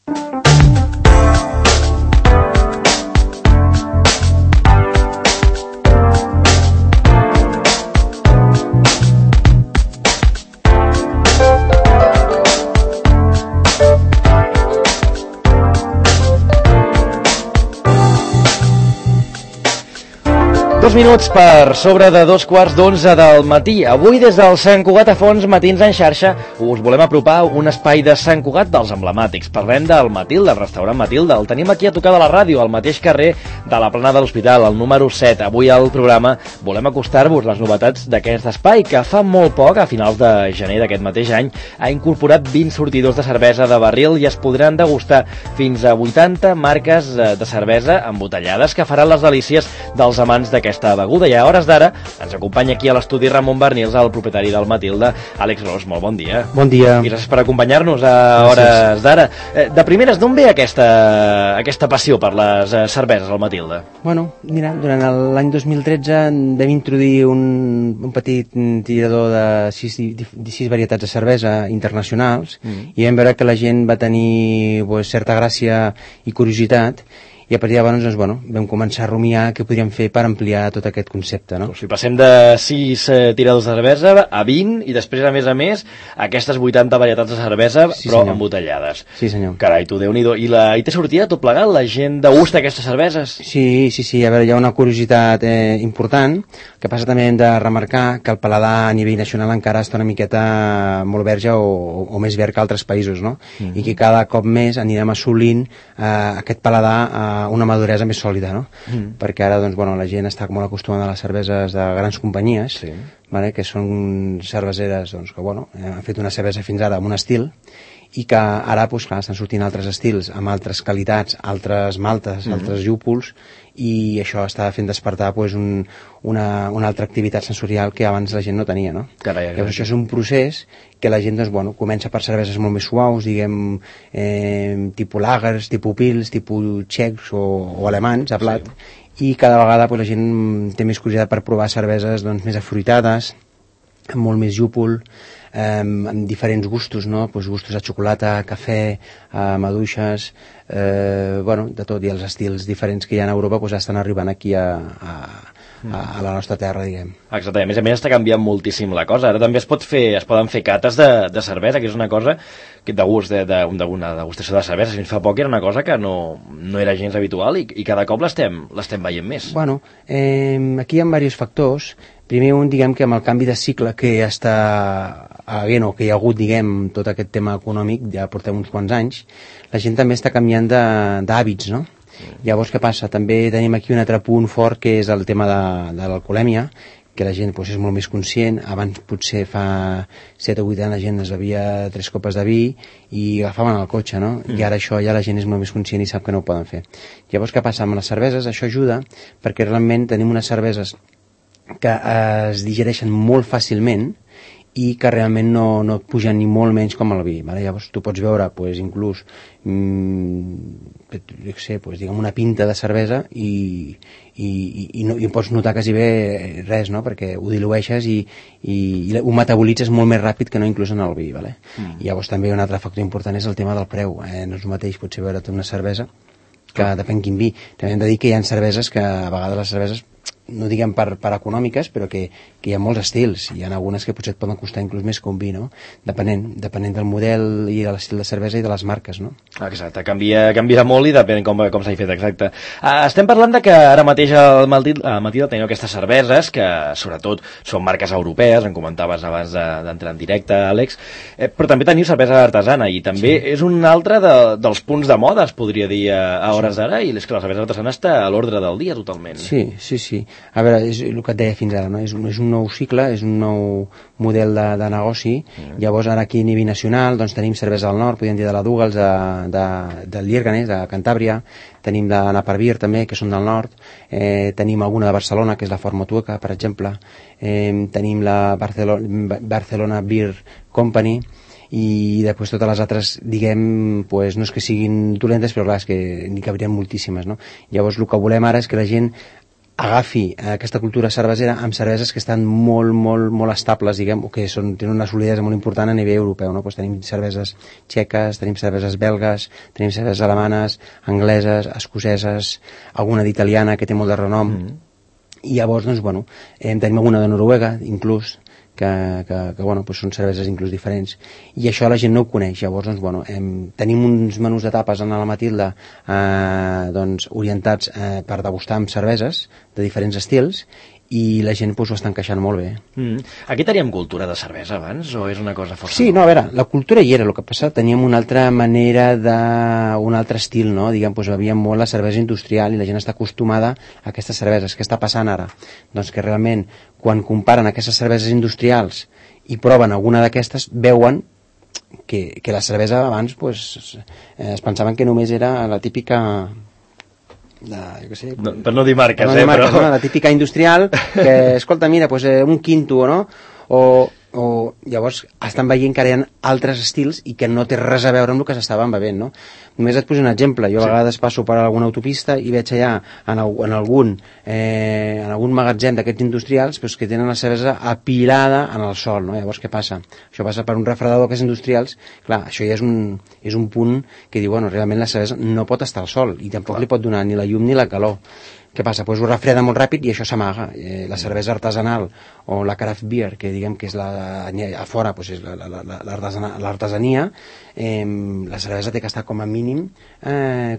2 minuts per sobre de 2:15 del matí. Avui des del Sant Cugat a Fons, Matins en xarxa, us volem apropar un espai de Sant Cugat dels emblemàtics. Parlem del Matilde, del restaurant Matilde. El tenim aquí a tocar de la ràdio, al mateix carrer de la Plana de l'Hospital, al número 7. Avui al programa volem acostar-vos les novetats d'aquest espai, que fa molt poc, a finals de gener d'aquest mateix any, ha incorporat 20 sortidors de cervesa de barril i es podran degustar fins a 80 marques de cervesa embotellades que faran les delícies dels amants d'aquesta beguda. I a hores d'ara ens acompanya aquí a l'estudi Ramon Bernils, el propietari del Matilde, Àlex Ros. Molt bon dia. Bon dia. I gràcies per acompanyar-nos a hores d'ara. De primeres, d'on ve aquesta passió per les cerveses al Matilde? Bueno, mira, durant l'any 2013 vam introduir un petit tirador de 6 varietats de cervesa internacionals i vam veure que la gent va tenir certa gràcia i curiositat, i a partir de llavors doncs, vam començar a rumiar què podríem fer per ampliar tot aquest concepte, no? O sigui, passem de 6 tiradors de cervesa a 20 i després, a més, aquestes 80 varietats de cervesa, sí, però senyor, embotellades. Sí, senyor. Carai, tu, Déu-n'hi-do. I té sortida tot plegat? La gent degusta aquestes cerveses? Sí. A veure, hi ha una curiositat important. El que passa també hem de remarcar que el paladar a nivell nacional encara està una miqueta molt verge o més verd que altres països, no? I que cada cop més anirem assolint aquest paladar una maduresa més sòlida, no? Perquè ara la gent està molt acostumada a les cerveses de grans companyies, sí, vale? Que són cerveseres que han fet una cervesa fins ara amb un estil i que ara estan sortint altres estils amb altres qualitats, altres maltes, altres llúpols, i això està fent despertar una altra activitat sensorial que abans la gent no tenia, no? Carai. Llavors això és un procés que la gent comença per cerveses molt més suaus, diguem, tipus lagers, tipus pils, tipus txecs o alemans a plat, sí, i cada vegada la gent té més curiositat per provar cerveses més afruitades, amb molt més llúpol, amb diferents gustos, no? Gustos de xocolata, cafè, maduixes, de tot, i els estils diferents que hi ha a Europa estan arribant aquí a la nostra terra, diguem. Exacte, a més està canviant moltíssim la cosa. Ara també es poden fer cates de cervesa, que és una cosa que d'una degustació de cervesa fins fa poc era una cosa que no era gens habitual i cada cop l'estem veient més. Aquí hi ha diversos factors. Primer diguem que amb el canvi de cicle que està havent, o que hi ha hagut, diguem, tot aquest tema econòmic, ja portem uns quants anys, la gent també està canviant d'hàbits, no? Llavors, què passa? També tenim aquí un altre punt fort, que és el tema de l'alcoholèmia, que la gent és molt més conscient. Abans, potser fa 7 o 8 anys, la gent es bevia 3 copes de vi i agafaven el cotxe, no? I ara això ja la gent és molt més conscient i sap que no ho poden fer. Llavors, què passa? Amb les cerveses això ajuda, perquè realment tenim unes cerveses que es digereixen molt fàcilment i que realment no pugen ni molt menys com el vi, vale? Llavors tu pots veure inclús diguem una pinta de cervesa i pots notar quasi bé res, no? Perquè ho dilueixes i ho metabolitzes molt més ràpid que no inclús en el vi, vale? I llavors també un altre factor important és el tema del preu, no és el mateix potser veure't una cervesa que depèn quin vi. També hem de dir que hi ha cerveses que a vegades les cerveses no diguem per econòmiques, però que hi ha molts estils, hi ha algunes que potser et poden costar inclús més que un vi, no? Depenent del model i de l'estil de cervesa i de les marques, no? Exacte, canvia molt i depèn com s'ha fet, exacte. Estem parlant de que ara mateix al Matilde teniu aquestes cerveses que sobretot són marques europees, en comentaves abans d'entrar en directe, Àlex, però també teniu cervesa artesana i també és un altre dels punts de moda, es podria dir a hores d'ara, i és que la cervesa artesana està a l'ordre del dia totalment. Sí. A veure, és el que et deia fins ara, no? És un nou cicle, és un nou model de negoci. Llavors ara aquí a nivell nacional tenim cervesa del nord, podríem dir de la Douglas, de Lierganes, de Cantàbria, tenim de Naparbier també, que són del nord, tenim alguna de Barcelona, que és la Fort Motueca, per exemple, tenim la Barcelona Beer Company, i després totes les altres, diguem, no és que siguin dolentes, però clar, és que n'hi cabrien moltíssimes, no? Llavors el que volem ara és que la gent agafi aquesta cultura cervesera amb cerveses que estan molt estables, diguem, o que tenen una solidesa molt important a nivell europeu, no? Pues tenim cerveses txeques, tenim cerveses belgues, tenim cerveses alemanes, angleses, escoceses, alguna d'italiana que té molt de renom, i llavors, doncs, bueno, tenim alguna de Noruega, inclús, que bueno, pues són cerveses inclús diferents, i això la gent no ho coneix. Llavors, doncs, bueno, tenim uns menús de tapes en la Matilda doncs, orientats per degustar amb cerveses de diferents estils, i la gent pues, ho està encaixant molt bé. Aquí teníem cultura de cervesa abans, o és una cosa força... Sí, no, a veure, la cultura hi era, el que passa, teníem una altra manera un altre estil, no? Diguem, pues, havia molt la cervesa industrial i la gent està acostumada a aquestes cerveses. Què està passant ara? Doncs que realment, quan comparen aquestes cerveses industrials i proven alguna d'aquestes, veuen que la cervesa abans pues, es pensaven que només era la típica... jo què sé, per no dir marques, però... no? La típica industrial que, escolta, mira, pues, un quinto, no? O llavors estan veient que ara hi ha altres estils i que no té res a veure amb el que s'estaven bevent, no? Només et poso un exemple. Jo a vegades passo per alguna autopista i veig allà en algun magatzem d'aquests industrials pues, que tenen la cervesa apilada en el sol, no? Llavors què passa? Això passa per un refredador d'aquests industrials. Clar, això ja és un punt que diu, bueno, realment la cervesa no pot estar al sol i tampoc li pot donar ni la llum ni la calor. Què passa? Pues ho refreda molt ràpid i això s'amaga. La cervesa artesanal o la craft beer, que diguem que és a fora pues és l'artesania, la cervesa té que estar com a mínim,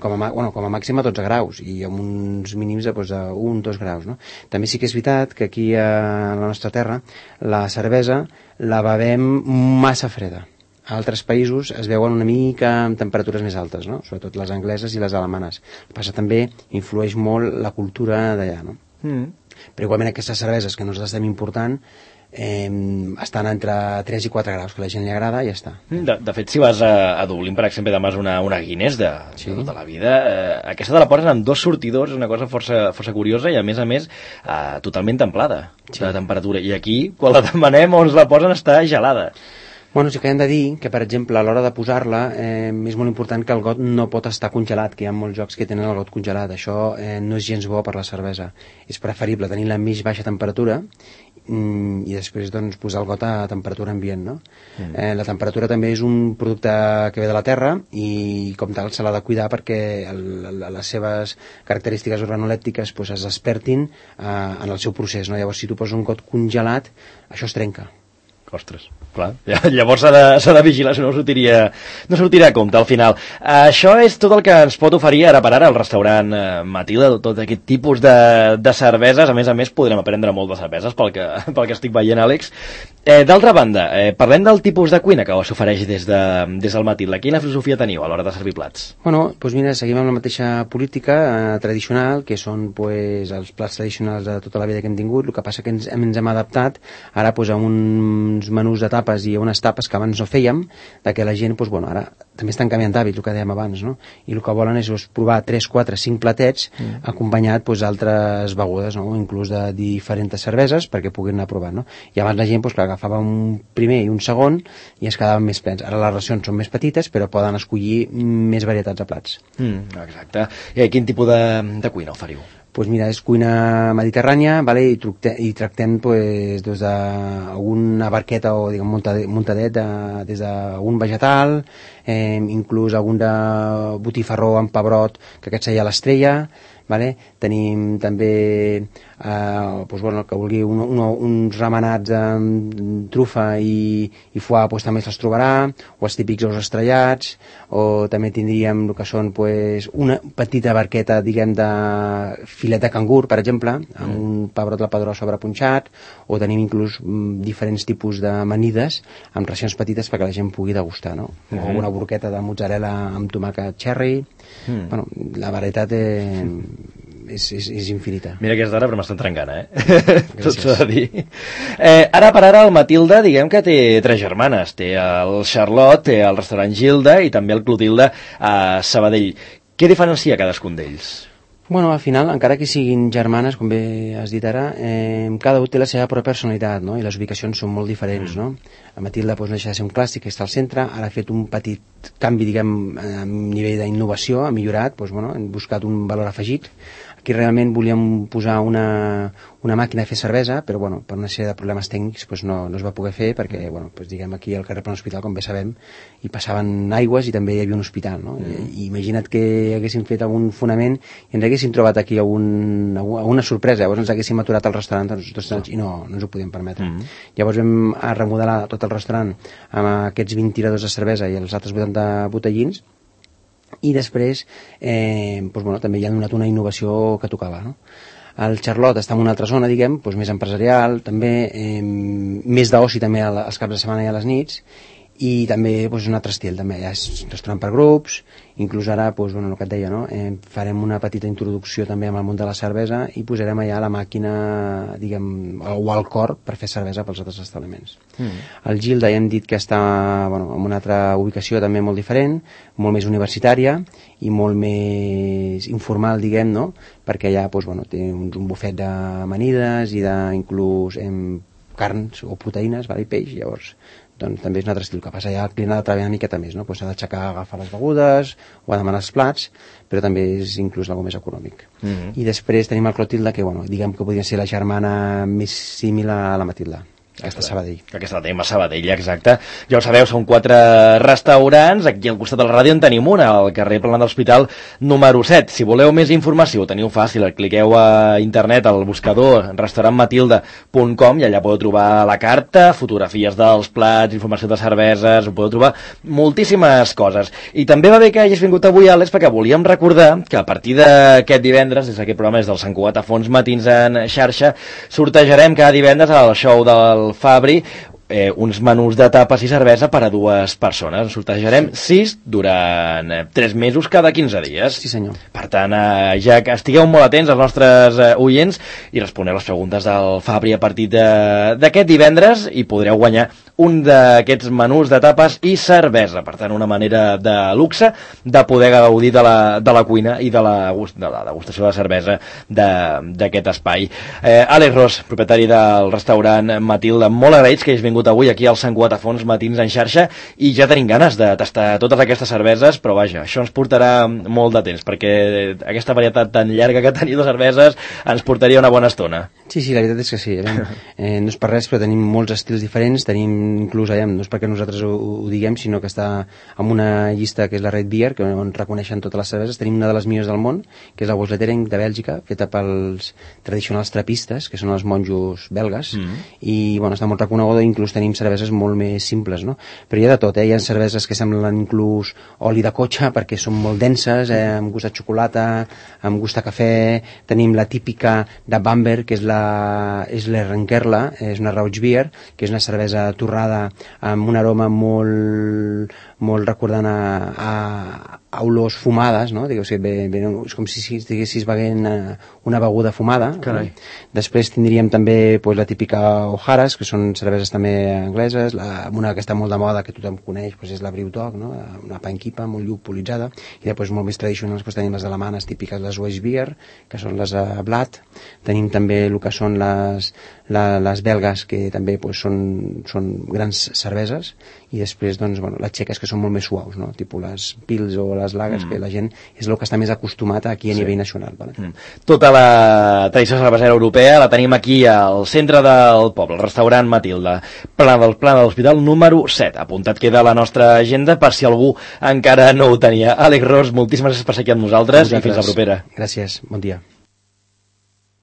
com a màxim a 12 graus i amb uns mínims de 1-2 graus. No? També sí que és veritat que aquí a la nostra terra la cervesa la bevem massa freda. A altres països es veuen una mica amb temperatures més altes, no? Sobretot les angleses i les alemanes. El que passa també influeix molt la cultura d'allà, no? Però igualment aquestes cerveses que nosaltres estem important estan entre 3 i 4 graus, que a la gent li agrada i ja està. De fet, si vas a Dublín, per exemple, demanes una Guinness de tota la vida, aquesta te la posen amb 2 sortidors, una cosa força curiosa i a més totalment templada de temperatura. I aquí, quan la demanem on ens la posen, està gelada. Bueno, sí que hem de dir que, per exemple, a l'hora de posar-la és molt important que el got no pot estar congelat, que hi ha molts jocs que tenen el got congelat. Això no és gens bo per la cervesa. És preferible tenir la més baixa temperatura i després doncs, posar el got a temperatura ambient. No? La temperatura també és un producte que ve de la terra i com tal se l'ha de cuidar perquè les seves característiques organolèptiques pues, es despertin en el seu procés. No? Llavors, si tu poses un got congelat, això es trenca. Ostres, clar, llavors s'ha de vigilar, si no sortiria a compte al final. Això és tot el que ens pot oferir ara per ara el restaurant Matilda, tot aquest tipus de cerveses. A més, podrem aprendre molt de cerveses pel que estic veient, Àlex. D'altra banda, parlem del tipus de cuina que s'ofereix des del Matilda. Quina filosofia teniu a l'hora de servir plats? Bueno, doncs mira, seguim amb la mateixa política tradicional, que són pues, els plats tradicionals de tota la vida que hem tingut. El que passa que ens hem adaptat ara pues, a uns menús de tapes i unes tapes que abans no fèiem, de que la gent, doncs, bueno, ara també estan canviant d'hàbit, el que dèiem abans, no? I el que volen és provar 3, 4, 5 platets acompanyat d'altres begudes, no? Inclús de diferents cerveses perquè puguin anar provant, no? I abans la gent, doncs, clar, agafava un primer i un segon i es quedaven més plens. Ara les racions són més petites, però poden escollir més varietats de plats. Exacte. I quin tipus de cuina oferiu? Pues mira, és cuina mediterrània, vale? I tractem pues, des d'alguna barqueta o diguem, muntadet des d'un vegetal, inclús algun de botifarró amb pebrot, que aquest seria l'estrella, vale? Tenim també pues, bueno, el que vulgui uns remenats amb trufa i foie pues, també se'ls trobarà, o els típics ous estrellats, o també tindríem el que són pues, una petita barqueta diguem de filet de cangur, per exemple, amb un pebrot de padró sobrepunxat, o tenim inclús diferents tipus d'amanides amb racions petites perquè la gent pugui degustar, no? O una burqueta de mozzarella amb tomàquet cherry. Bueno, la varietat és infinita. Mira que és d'ara, però m'estan trencant, tot s'ha de dir. Ara per ara el Matilda, diguem que té 3 germanes. Té el Charlotte, té el restaurant Gilda i també el Clotilde a Sabadell. Què diferencia cadascun d'ells? Bueno, al final, encara que siguin germanes, com bé has dit ara, cada un té la seva pròpia personalitat, no? I les ubicacions són molt diferents, no? La Matilda doncs, no deixa de ser un clàssic que està al centre, ara ha fet un petit canvi, diguem, a nivell d'innovació, ha millorat, doncs, bueno, hem buscat un valor afegit. Aquí realment volíem posar una màquina a fer cervesa, però bueno, per una sèrie de problemes tècnics pues no es va poder fer perquè pues, diguem, aquí al carrer Plan Hospital, com bé sabem, hi passaven aigües i també hi havia un hospital, no? I imagina't que haguéssim fet algun fonament i ens haguéssim trobat aquí alguna sorpresa, llavors ens haguéssim aturat al restaurant i no ens ho podíem permetre. Llavors vam remodelar tot el restaurant amb aquests 20 tiradors de cervesa i els altres 80 botellins, i després doncs, bueno, també hi ha donat una innovació que tocava, no? El Charlotte està en una altra zona, diguem, doncs més empresarial, també més d'oci també als caps de setmana i a les nits, i també doncs, un altre estil, també ja és un restaurant per grups, inclús ara doncs, bueno, el que et deia, no? Farem una petita introducció també amb el món de la cervesa i posarem allà la màquina, diguem, o el cor per fer cervesa pels altres establiments. El Gilda ja hem dit que està bueno, en una altra ubicació també molt diferent, molt més universitària i molt més informal, diguem, no? Perquè allà doncs, bueno, té un bufet d'amanides i d'inclús carns o proteïnes, i peix, llavors doncs també és un altre estil. Que passa ja el client ha de treballar una miqueta més, no? Pues s'ha d'aixecar a agafar les begudes o a demanar els plats, però també és inclús algo més econòmic. I després tenim el Clotilde, que bueno, diguem que podria ser la germana més símil a la Matilda. Aquesta Sabadell. Aquesta la tenim a Sabadell, exacte. Ja ho sabeu, són 4 restaurants. Aquí al costat de la ràdio en tenim una, al carrer Planant de l'Hospital número 7. Si voleu més informació, ho teniu fàcil. Cliqueu a internet al buscador restaurantmatilda.com i allà podeu trobar la carta, fotografies dels plats, informació de cerveses, ho podeu trobar moltíssimes coses. I també va bé que hagis vingut avui, Àlex, perquè volíem recordar que a partir d'aquest divendres, des d'aquest programa, des del Sant Cugat a Fons Matins en xarxa, sortejarem cada divendres al show del Fabri uns menús de tapes i cervesa per a 2 persones. En sortejarem 6 durant 3 mesos cada 15 dies. Sí, senyor. Per tant, ja que estigueu molt atents als nostres oients i responeu les preguntes del Fabri a partir d'aquest divendres i podreu guanyar un d'aquests menús de tapes i cervesa. Per tant, una manera de luxe de poder gaudir de la cuina i de la degustació de la cervesa d'aquest espai. Àlex Ros, propietari del restaurant Matilda, molt agraïts que hagis vingut avui aquí al Sant Cugat a Fons Matins en xarxa i ja tenim ganes de tastar totes aquestes cerveses, però vaja, això ens portarà molt de temps perquè aquesta varietat tan llarga que teniu de cerveses ens portaria una bona estona. Sí, la veritat és que sí. No és per res, però tenim molts estils diferents, tenim inclús, no és perquè nosaltres ho diguem, sinó que està en una llista que és la Red Beer, que on reconeixen totes les cerveses. Tenim una de les millors del món, que és la Bosletering de Bèlgica, feta pels tradicionals trapistes, que són els monjos belgues, i bueno, està molt reconeguda, inclús tenim cerveses molt més simples, no? Però hi ha de tot, hi ha cerveses que semblen inclús oli de cotxe, perquè són molt denses, amb gust de xocolata, amb gust de cafè. Tenim la típica de Bamberg, que és l'Ehrenkerla, és una Rauch Beer, que és una cervesa torrada amb un aroma molt recordant a olors fumades, no? És com si estiguessis beguent una beguda fumada. Després tindríem també la típica O'Hara's, que són cerveses també angleses. Una que està molt de moda, que tothom coneix, és la Brewdog, no? Una panquipa molt llupolitzada. I després molt més tradicionals tenim les alemanes típiques, les Weissbier, que són les Blat. Tenim també el que són les belgues, que també són grans cerveses. I després les txeques, que són molt més suaus, no? Tipus les Pils o les Lagers, que la gent és el que està més acostumat aquí a nivell nacional. Tota la tradició cervesera europea la tenim aquí al centre del poble, el restaurant Matilda, Plana de l'Hospital número 7. Apuntat queda a la nostra agenda per si algú encara no ho tenia. Àlex Ros, moltíssimes gràcies per ser aquí amb nosaltres i fins la propera. Gràcies, bon dia.